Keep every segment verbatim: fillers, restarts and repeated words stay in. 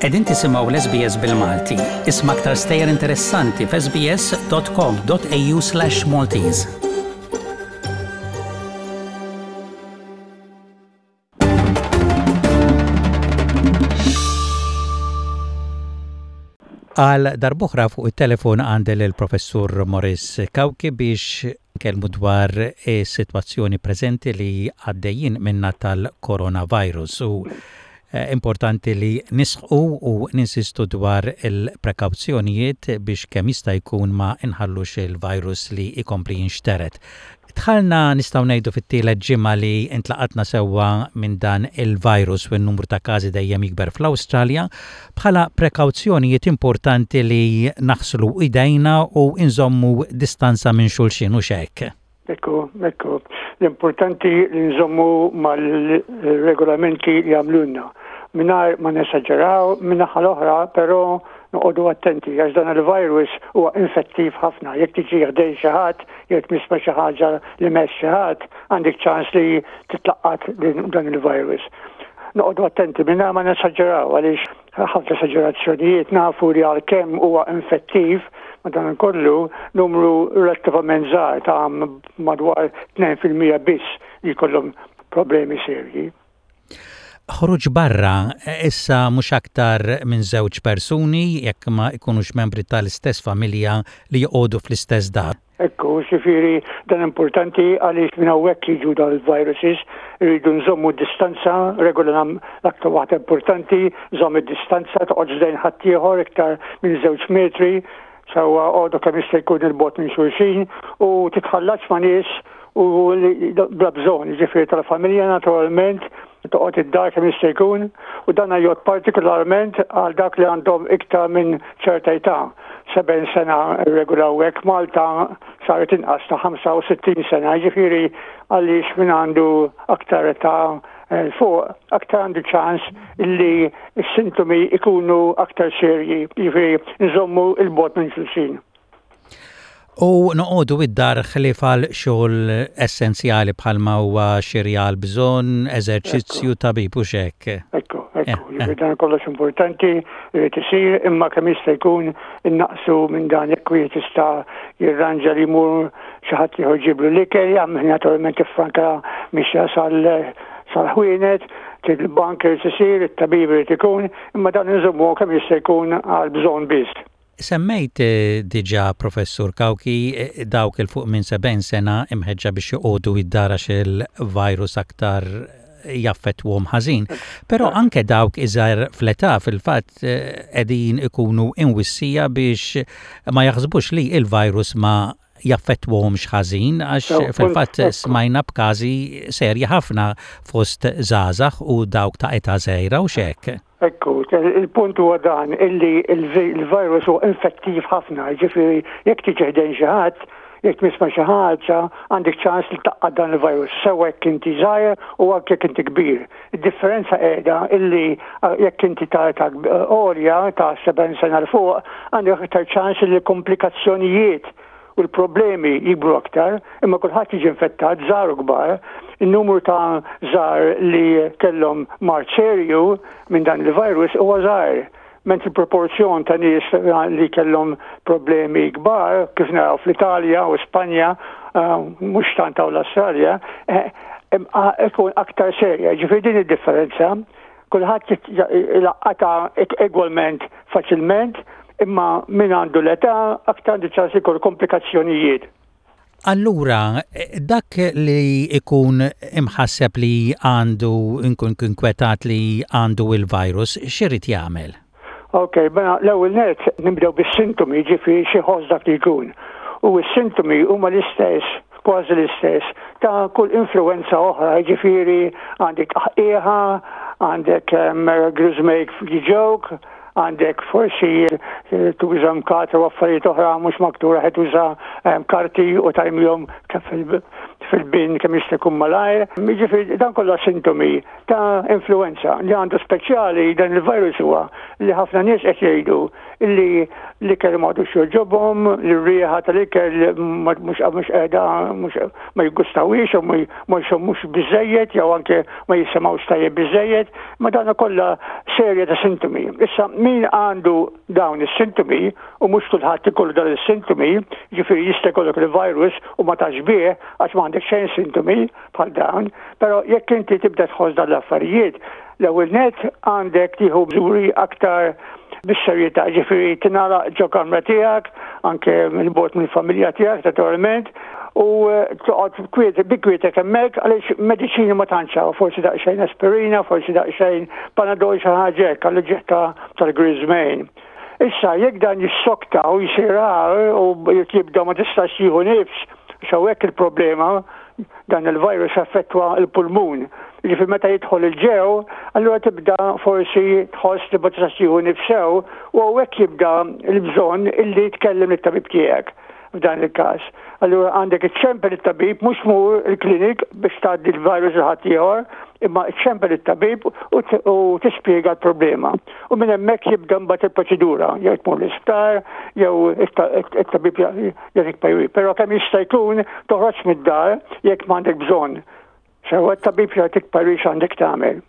Qegħdin tisimgħu l-S B S bil-Malti. Isma' aktar stejjer interessanti f'S B S dot com dot A U slash Maltese. Għal darb'oħra fuq il-telefon għandi l-professur Morris Cauchi biex nkellmu dwar is-sitwazzjoni preżenti li għaddejjin minna tal-coronavirus u eh, importanti li nisħqu u ninsistu dwar il-prekawzjonijiet biex kemm jista' jkun ma nħallux il-virus li ikompli jinxteret. Dħalna, nistgħu ngħidu, fit-tielet ġimgħa li intlaqatna sewwa minn dan il-virus u n-numru ta' każi dejjem jikber fl-Awstralja. Bħala prekawzjonijiet, importanti li naħslu idejna u nżommu distanza minn xulxin, u hekk? Ekku, ekku. L-importanti li nżommu mal-regolamenti li għamlulna. Mingħajr ma nesaġeraw, min-naħa l-oħra, pero noqogħdu attenti għax dan il-virus huwa infettiv ħafna. Jekk tiġi ħdejn xi ħadd, jekk tmiss xi ħaġa li mess xi ħadd, għandek ċans li titlaqqat dan il-virus. Noqogħdu attenti mingħajr ma nesaġeraw, għaliex ħafna esaġerazzjonijiet. Nafu li għalkemm huwa infettiv, madan kollu numru relattivament żgħar ta' madwar tnejn fil-mija biss li jkollhom problemi serji. Ħruġ barra issa mhux aktar minn żewġ persuni jekk ma jkunux membri tal-istess familja li joqogħdu fl-istess dar. Ekku, jiġifieri dan importanti għaliex minn hawnhekk jiġu dal-viruses, irridu nżommu distanza, regola l-aktar waħda importanti, żomm id-distanza, toqgħodx ħdejn ħaddieħor iktar minn żewġ metri, sewwa, oqogħdu kemm jista' jkun 'il bogħod minn xulxin u titħallatx ma' nies u bla bżonn, jiġifieri tal-familja naturalment, toqgħod id-dar kemm jista' jkun, u dan jgħod partikolarment għal dak li għandhom iktar minn ċerta età. Sebgħin sena regola hekk, Malta saret inqas ta' ħamsa u sittin sena, jiġifieri għaliex min għandu aktar età eh, fuq aktar għandu ċans illi s-sintomi ikunu aktar serji, jiġifieri nżommu 'il bogħod minn xulxin. U noqogħdu id-dar ħlief għal xogħol essenzjali bħalma huwa xiri għal bżonn, eżerċizzju, tabib, u hekk. Ekku, ekku, eh, dan kollox importanti irid isir, imma kemm jista' jkun innaqsu minn dan. Jekk wieħed jista' jirranġa li jmur xi ħadd ieħor jġiblu l-ikel, jagħmel naturalment franka mixja sal sal-ħwienet, il-bank irid isir, it-tabib irid ikun, imma dan inżommu kemm jista' jkun għal bżonn biss. Semmejt eh, diġà, Professur Cauchi, eh, dawk 'il fuq minn sebgħin sena imħeġġa biex joqogħdu id-dar għax il-virus aktar jaffettwhom ħażin. Però anke dawk iżgħar fl-età fil-fatt eh, qegħdin ikunu imwissija biex ma jaħsbux li il-virus ma jaffettwhomx ħażin, għax fil-fatt smajna b'każi serji ħafna fost żgħażagħ u dawk ta' età żgħira, u hekk. Ekku, il-punt huwa dan illi il-virus huwa infettiv ħafna, jiġifieri jekk tiġi ħdejn xi ħadd, jekk tmiss ma' xi ħaġa, għandek ċans li taqqa' dan il-virus, sew jekk inti żgħir u anke jekk inti kbir. Id-differenza qiegħda illi jekk inti ta' ta' għolja ta' sebgħin sena 'l fuq, għandek aktar ċans li komplikazzjonijiet u l-problemi jikbru aktar, imma kulħadd jiġi infettat, żgħar u kbar. Il-numru ta' żgħar li kellhom mard serju minn dan il-virus huwa żgħar. Mentri proporzjon ta' nies li kellhom problemi kbar, kif naraw fl-Italja u Spanja, uh, mhux tant hawn l-Australja, eh, ikun aktar serja. Jiġifieri din id-differenza, kulħadd laqqata egwalment faċilment, imma min għandu l-età aktar għandu ċans ikollu komplikazzjonijiet. Allura, dak li ikun imħasseb li għandu, inkun inkwetat li għandu il-virus, x'irid jagħmel? Ok, mela l-ewwel net nibdew bis-sintomi, jiġifieri xi dak li jkun. U s-sintomi huma l-istess, kważi l-istess, ta' kull influenza oħra, jiġifieri għandek tqaħqiħa, għandek griżmejk jiġuk, għandek forsi eh, tuża mkatra u affarijiet oħra mhux maktura, qed tuża karti u tarmihom fil-bin kemm jista' jkun malajr. Jiġifieri dan kollha sintomi ta' influenza. Li għandu speċjali dan il-virus huwa li ħafna nies qed jgħidu li l-ikel m'għadux jogħġobhom, li r-riħa tal-ikel mhux mhux qiegħda, mhux ma jiggustawhiex u ma jxommux biżejjed jew anke ma jisimgħux tajjeb biżejjed, ma dan kollha serje ta' sintomi. Issa, min għandu dawn is-sintomi, u mhux kulħadd ikollu dawn is-sintomi, ġifieri jista' jkollok il-virus u ma tafx bih għax ma għandek xejn sintomi bħal dawn, però jekk inti tibda tħoss dan l-affarijiet, l-ewwel net għandek tieħu miżuri aktar bis-serjetà, ġifieri tingħalaq ġo kamra tiegħek, anke mill-bogħod mill-familja tiegħek naturalment, u eh, toqgħod kwiet bi kwietek hemmhekk, għaliex mediċini ma tantx hawn, forsi daqsxejn aspirina, forsi daqsxejn Panadol, xi ħaġa hekk għall-ġieħ tal-griżmejn. Issa, jekk dan jissokta u jsir u jibda ma tistax jieħu nifs, hawnhekk il-problema, dan il-virus affettwa il-pulmun. Ġifieri meta jidħol 'il ġew, allura tibda forsi tħoss li ma tistax tieħu nifs sew u hawnhekk jibda l-bżonn illi tkellem lit-tabib tiegħek f'dan il-każ. Allura għandek iċċempel it-tabib, mhux tmur il-klinik biex tgħaddi l-virus lil ħaddieħor, imma iċċempel it-tabib u tispjega l-problema. U minn hemmhekk jibda mbagħad il-proċedura, jew tmur l-isptar, jew it-tabib jagħtik parir. Però kemm jista' jkun toħroġ mid-dar jekk m'għandek bżonn. Sewa, t-tabib jagħtik parir x'għandek tagħmel.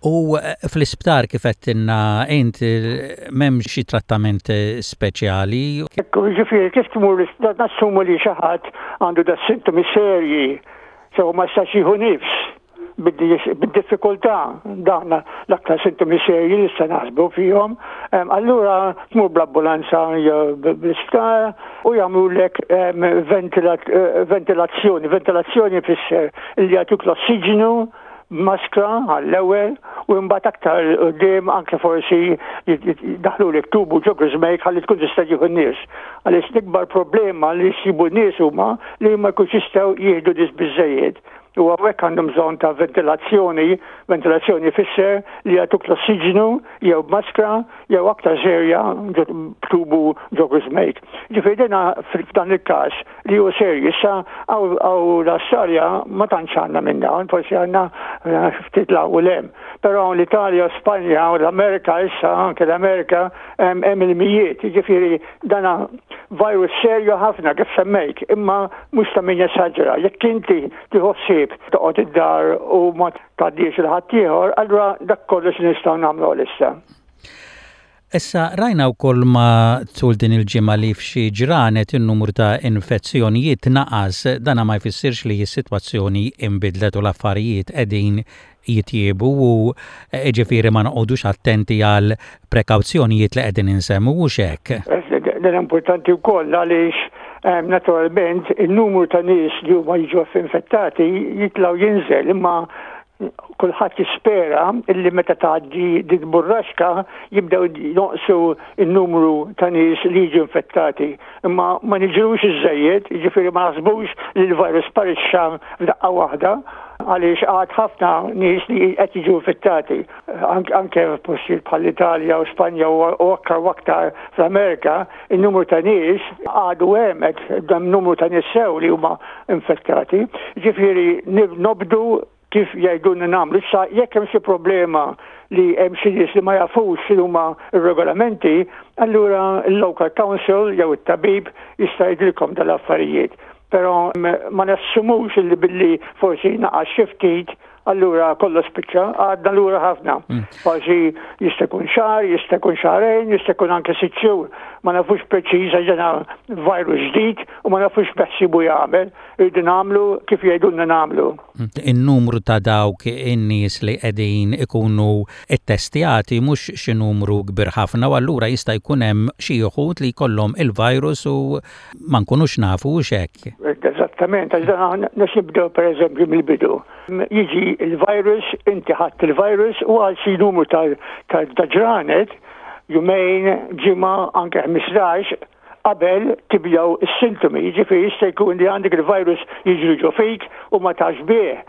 U eh, fl-isptar, kif għedtilna int, m'hemm xi trattament eh, speċjali? Ekku, ġifieri kif tmur l-isptar, nassumu li xi ħadd għandu da sintomi serji, sew ma jistax jieħu nifs bid-diffikultà, dawn l-aktar sintomi serji li se naħsbu fihom, allura tmur bl-ambulanza jew bl-isptar u jagħmlulek eh, ventilazzjoni. Ventilazzjoni fisser li jagħtuk l-ossiġenu maskra għall-ewwel u mbagħad aktar quddiem anke forsi daħlu tubu ġo griżmejk ħalli tkun tista' tieħu n-nifs. Għaliex l-ikbar problema li jsibu n-nies huma li ma jkunx jistgħu jieħdu nifs biżejjed. U hawnhekk għandhom bżonn ta' ventilazzjoni, ventilazzjoni fisser li jagħtuk l-ossiġenu jew maskra jew aktar serja tubu ġo griżmejk. Ġifieri dina f'dan il-każ li hu serju. Issa hawn l-Awstralja ma tantx għandna minn dawn, forsi għandna eh, ftit 'l hawn u 'l hemm. Però l-Italja, Spanja u l-Amerika issa, anke l-Amerika hemm il-mijiet, ġifieri dana virus serju ħafna kif semmejt, imma mhux ta' min jesaġera. Jekk inti tieħu ħsieb toqgħod id-dar u ma tgħaddix lil ħaddieħor, allura dak kollox nistgħu nagħmlu issa. Issa, rajna wkoll matul din il-ġimgħa li f'xi ġranet in-numru ta' infezzjonijiet naqas, dana ma jfissirx li s-sitwazzjoni imbidlet u l-affarijiet qegħdin jitjiebu u ġifieri ma noqogħdux attenti għal prekawzjonijiet li qegħdin insemmu u hekk. Dan importanti wkoll għaliex naturalment il-numru ta' nies li huma jiġu infettati jitlgħu jinżel, imma kulħadd jispera illi meta tgħaddi din burraxka jibdew jonqsu n-numru ta' nies li jiġu infettati. Imma ma niġrux iżejjed, jiġifieri ma naħsbux li l-virus sparixxa f'daqqa waħda, għaliex għad ħafna nies li qed jiġu infettati. Anke f'postijiet bħall-Italja u Spanja u aktar u aktar fl-Amerika, il-numru ta' nies għadu hemm, qed numru ta' nies sew li huma infettati. Ġifieri nobdu kif jgħidulna nagħmlu. Issa, jekk hemm xi problema li hemm xi nies li ma jafux x'inhu huma r-regolamenti, allura l-local council jew it-tabib jista' jgħidilkom dal-affarijiet. Però ma nassumux li billi forsi naqas xi ftit allura kollox spiċċa, għadna lura ħafna. Mm. Forsi jista' jkun xahar, jista' jkun xahrejn, jista' jkun anke sitt xhur. Ma nafux preċiż għax dan virus ġdid u ma nafux x'beħsiebu jagħmel. Irridu nagħmlu kif jgħidulna nagħmlu. Mm. In-numru ta' dawk in-nies li qegħdin ikunu ttestjati mhux xi numru kbir ħafna u allura jista' jkun hemm xi wħud li jkollhom il-virus u ma nkunux nafu hekk. Eżattament, għax dan nibdew pereżempju mill-bidu. Jiġi il-virus, inti ħadd il-virus u għal xi numru ta' ġranet, jumejn, ġimgħa, anke ħmistax, qabel tibdew is-sintomi. Jiġifieri jista' jkun li għandek il-virus jiġri ġo fik u ma tafx bih.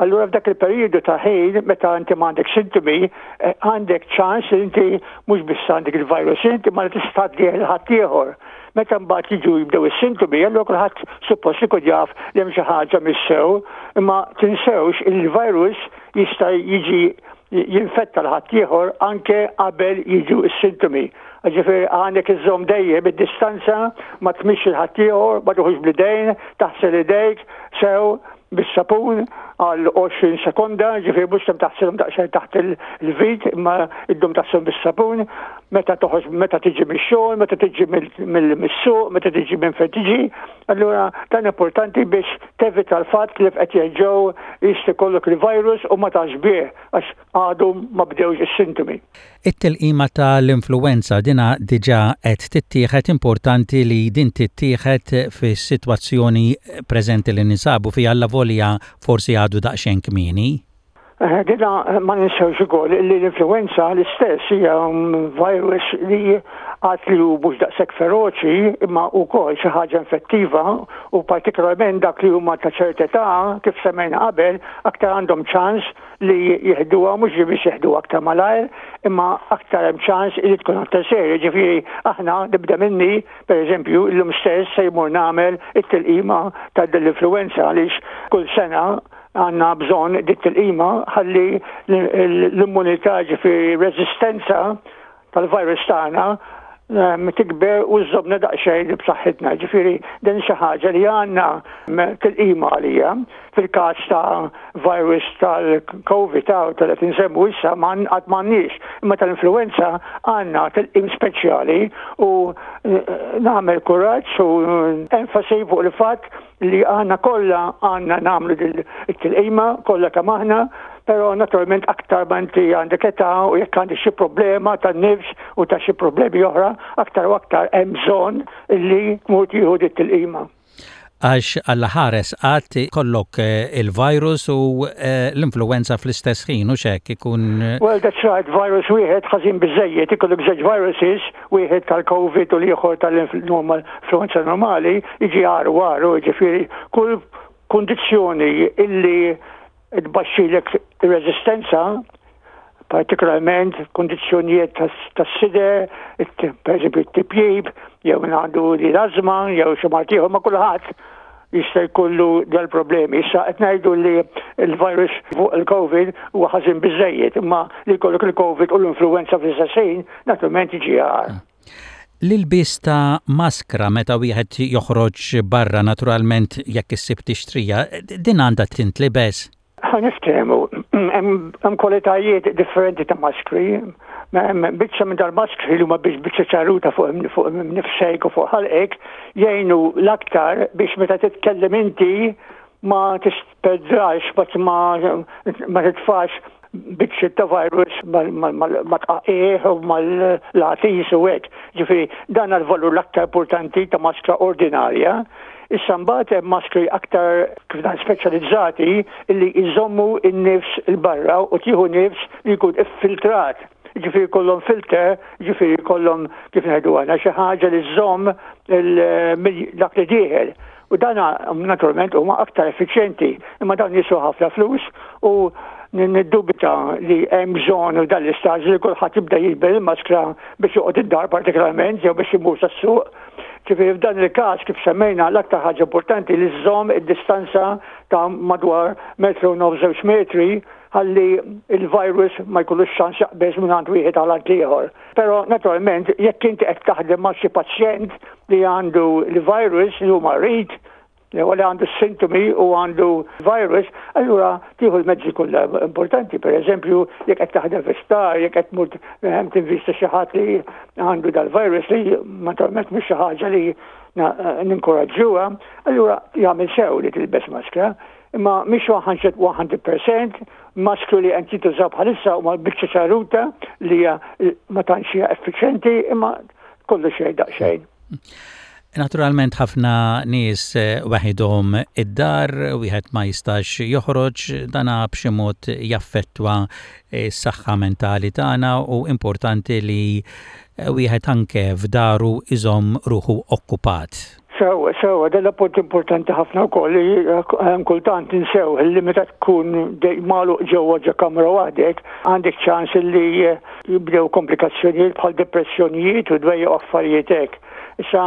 Allura f'dak il-perjodu ta' ħin meta inti m'għandek sintomi, eh, għandek ċans li inti mhux biss għandek il-virus inti ma tista' tgħaddih lil ħaddieħor. Meta mbagħad jiġu jibdew is-sintomi, allura kulħadd suppost ikun jaf li hemm xi ħaġa mis-sew, imma tinsewx il-virus jista' jiġi jinfetta lil ħaddieħor anke qabel jiġu s-sintomi. Ġifieri għandek iżżomm dejjem id-distanza, ma tmissx lil ħaddieħor, ma tuħux bl-idejn, taħsel idejk sew bis-sapun għal għoxrin sekonda, ġifieri mhux kemm taħsilhom daqsxejn taħt il-vit, imma iddum taħsilhom bis-sapun, meta toħroġ, meta tiġi mix-xogħol, meta tiġi mill-suq, meta tiġi minn fejn tiġi. Allura dan importanti biex tevita l-fatt li qed jerġgħu jista' jkollok il-virus u ma tafx bih għax għadu ma bdewx is-sintomi. It-tilqima tal-influenza dina diġà qed tittieħed. Importanti li din tittieħed fis-sitwazzjoni preżenti li ninsabu fiha, allavolja forsi għadu daqsxejn kmieni. Eh, dina ma ninsewx ukoll li l-influenza l-istess hija virus li għad li hu mhux daqshekk feroċi imma wkoll xi ħaġa infettiva u partikolarment dak li huma ta' ċerta età, kif semmejna qabel, aktar għandhom ċans li jieħduha, mhux biex jieħduha aktar malajr imma aktar hemm ċans li tkun aktar serja. Ġifieri aħna, nibda minni, pereżempju, illum stess se jmur nagħmel it-tilqima ta' l-influenza għaliex kull sena għandna bżonn dit tilqima ħalli l-immunità, ġifieri resistenza tal-virus tagħna, ehm, tikber u żżommna daqsxejn b'saħħitna. Ġifieri din xi ħaġa li għandna tilqima għalija. Fil-każ ta' virus tal-COVID ta' tal-qed insemmu issa qatt m'għandniex, imma tal-influenza għandna tilqim speċjali u eh, nagħmel kuraġġ u enfasi fuq il-fatt li għandna kollha għandna nagħmlu it-tilqima kollha kemm aħna, però naturalment aktar ma inti għandek età u jekk għandek xi problema tan-nifs u ta' xi problemi oħra, aktar u aktar hemm bżonn li tmur tieħu dit-tilqima. Għax Alla ħares qatt ikollok eh, il-virus u eh, l-influenza fl-istess ħin u xek ikun. Eh, well, that's right, virus wieħed ħażin biżejjed, ikollok żewġ viruses, wieħed tal-COVID u l-ieħor tal-normal influenza normali, jiġi għaru għaru, ġifieri kull kondizzjoni illi tbaxxilek ir-reżistenza, partikolarment kondizzjonijiet tas-sider, per eżempju t-tipjib, jew min għandu li l-azma, jew xi mard ieħor, ma kulħadd jista' jkollu dal-problemi. Issa qed ngħidu li l-virus fuq il-COVID huwa ħażin biżejjed, imma li jkollok il-COVID u l-influenza fl-istess naturalment jiġi agħar. L-ilbis ta' maskra meta wieħed joħroġ barra, naturalment jekk issib tixtrija, din għandha tintlibes? Ħa niftehmu, hemm kwalitajiet differenti ta' maskri. Biċċa minn dal-maskri li huma biex biċċa ċarruta fuq fuq nifsejk u fuq ħalqek jgħinu l-aktar biex meta titkellem inti ma tispreadjax, ma ma titfax biċċi ta' virus ma tqaqieħ u mal-latis u hekk. Ġifieri dan għal-valur l-aktar importanti ta' maskra ordinarja. Issa mbagħad hemm maskri aktar kif dan speċjalizzati illi jżommu n-nifs 'il barra u tieħu nifs li jkun iffiltrat. Ġifieri kollhom filter, ġifieri kollhom, kif ngħidu għandna, xi ħaġa li żżomm dak li dieħel. U dan naturalment huma aktar effiċjenti, imma dawn jiswew ħafna flus u niddubita li hemm bżonn u dan l-istaġ li kulħadd jibda jilbes il-maskra biex joqgħod id-dar partikolarment jew biex imur sas-suq. Ġifieri f'dan il-każ, kif semmejna, l-aktar ħaġa importanti li żżomm id-distanza ta' madwar metru nofs, żewġ metri, ħalli il-virus ma jkollux ċans jaqbeż minn għand wieħed għal għand ieħor. Però naturalment jekk inti qed taħdem ma' xi pazjent li għandu l-virus, li hu marid, li li għandu sintomi u għandu virus, allura tieħu l-mezzi kollha importanti. Per eżempju, jekk qed taħdem fi sptar, jekk qed tmur ehm, tinvista xi ħadd li għandu dal-virus, li naturalment mhux xi ħaġa li ninkoraġġuha, allura jagħmel sew li tilbes maskra. Imma mhix mija fil-mija, maskru li qed jintużaw bħalissa huma biċċa ċarruta li ma tantx hija effiċjenti, imma kollu xejn daqsxejn. Naturalment ħafna nies eh, waħidhom id-dar, wieħed ma jistax joħroġ, dana b'xi mod jaffettwa s-saħħa mentali tagħna u importanti li eh, wieħed anke f'daru iżomm ruħu okkupat. Sewa, sewa, dan punt importanti ħafna wkoll li eh, kultant ninsew li meta tkun magħluq ġewwa ġo kamra waħdek, għandek ċans li eh, jibdew komplikazzjonijiet bħal depressjonijiet u dwejjaq affarijiet hekk. Issa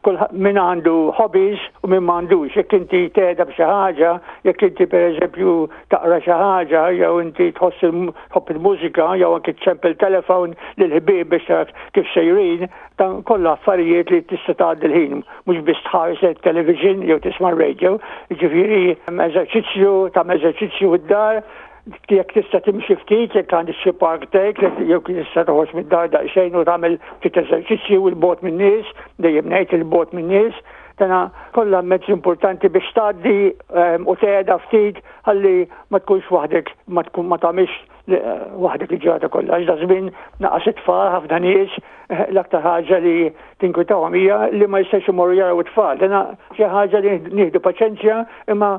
kull min għandu hobbies u min m'għandux, jekk inti tehda b'xi ħaġa, jekk inti pereżempju taqra xi ħaġa, jew inti tħoss tħobb il-mużika, jew anke ċempel telefon lil ħbieb biex tara kif sejrin, dan kollha affarijiet li tista' tgħaddi l-ħin, mhux biss tħares television jew tisma' radio, ġifieri eżerċizzju, tagħmel eżerċizzju id-dar, jekk tista' timxi ftit, jekk għandek xi park tek, jew tista' toħroġ mid-dar daqsxejn u tagħmel ftit eżerċizzju 'il bogħod min-nies, dejjem ngħid 'il bogħod min-nies, dana kollha mezzi importanti biex tgħaddi ehm, u tehda ftit ħalli ma tkunx waħdek, ma tkun ma tagħmilx eh, waħdek il-ġurnata kollha. Għax da żmien naqas it-tfal ħafna nies eh, l-aktar ħaġa li tinkwitahom hija li ma jistax imorru jaraw it-tfal. Dana xi ħaġa li nieħdu paċenzja imma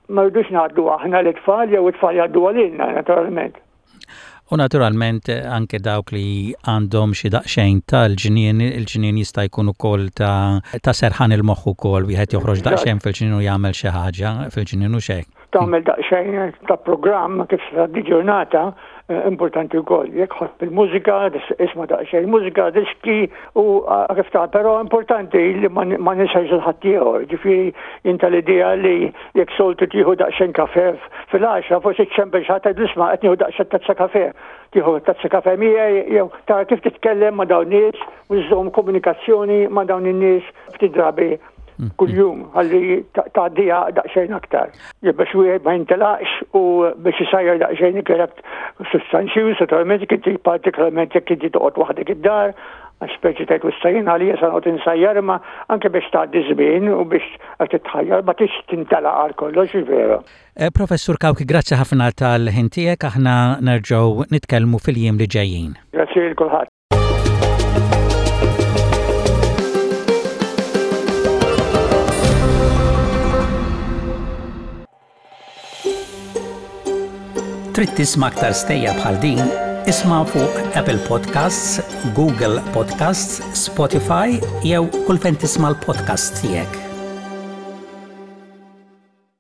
ma rridux ngħaddu aħna l-tfal jew it-tfal jgħaddu għalina naturalment. U naturalment anke dawk li għandhom xi daqsxejn tal-ġnien, il-ġnien jista' jkun ukoll ta' ta' serħan il-moħħ ukoll wieħed joħroġ daqsxejn fil-ġnien u jagħmel xi ħaġa fil-ġnien u xejn. Tagħmel daqsxejn ta' programm kif se tgħaddi ġurnata eh, importanti wkoll. Jekk tħobb il-mużika, isma' daqsxejn mużika, diski u eh, kif ta' però importanti li ma ninsax il-ħaddieħor. Ġifieri inta l-idea li jekk soltu tieħu daqsxejn kafe fil-għaxra, forsi ċempel xi ħadd isma' qed nieħu daqsxejn tazza kafe. Tieħu tazza kafe miegħi jew tara kif titkellem ma' dawn nies u żżomm komunikazzjoni ma' dawn in-nies ftit drabi kuljum ħalli tgħaddiha daqsxejn aktar. Biex wieħed ma jintelaqx u biex isajjar daqsxejn ikel sustanzjuż, naturalment jekk inti partikolarment jekk inti toqgħod waħdek id-dar, għax speċi tgħid wissajin għalija sa noqgħod insajjar imma anke biex tgħaddi żmien u biex qed titħajjar ma tix tintelaq għal kollox vera. Eh, Professur Cauchi, grazzi ħafna tal-ħin tiegħek, aħna nerġgħu nitkellmu fil-jiem li ġejjin. Grazzi lil kulħadd. Trid tisma' aktar stejjer bħal din? Isma' fuq Apple Podcasts, Google Podcasts, Spotify jew kull fejn tisma' l-podcast tiegħek.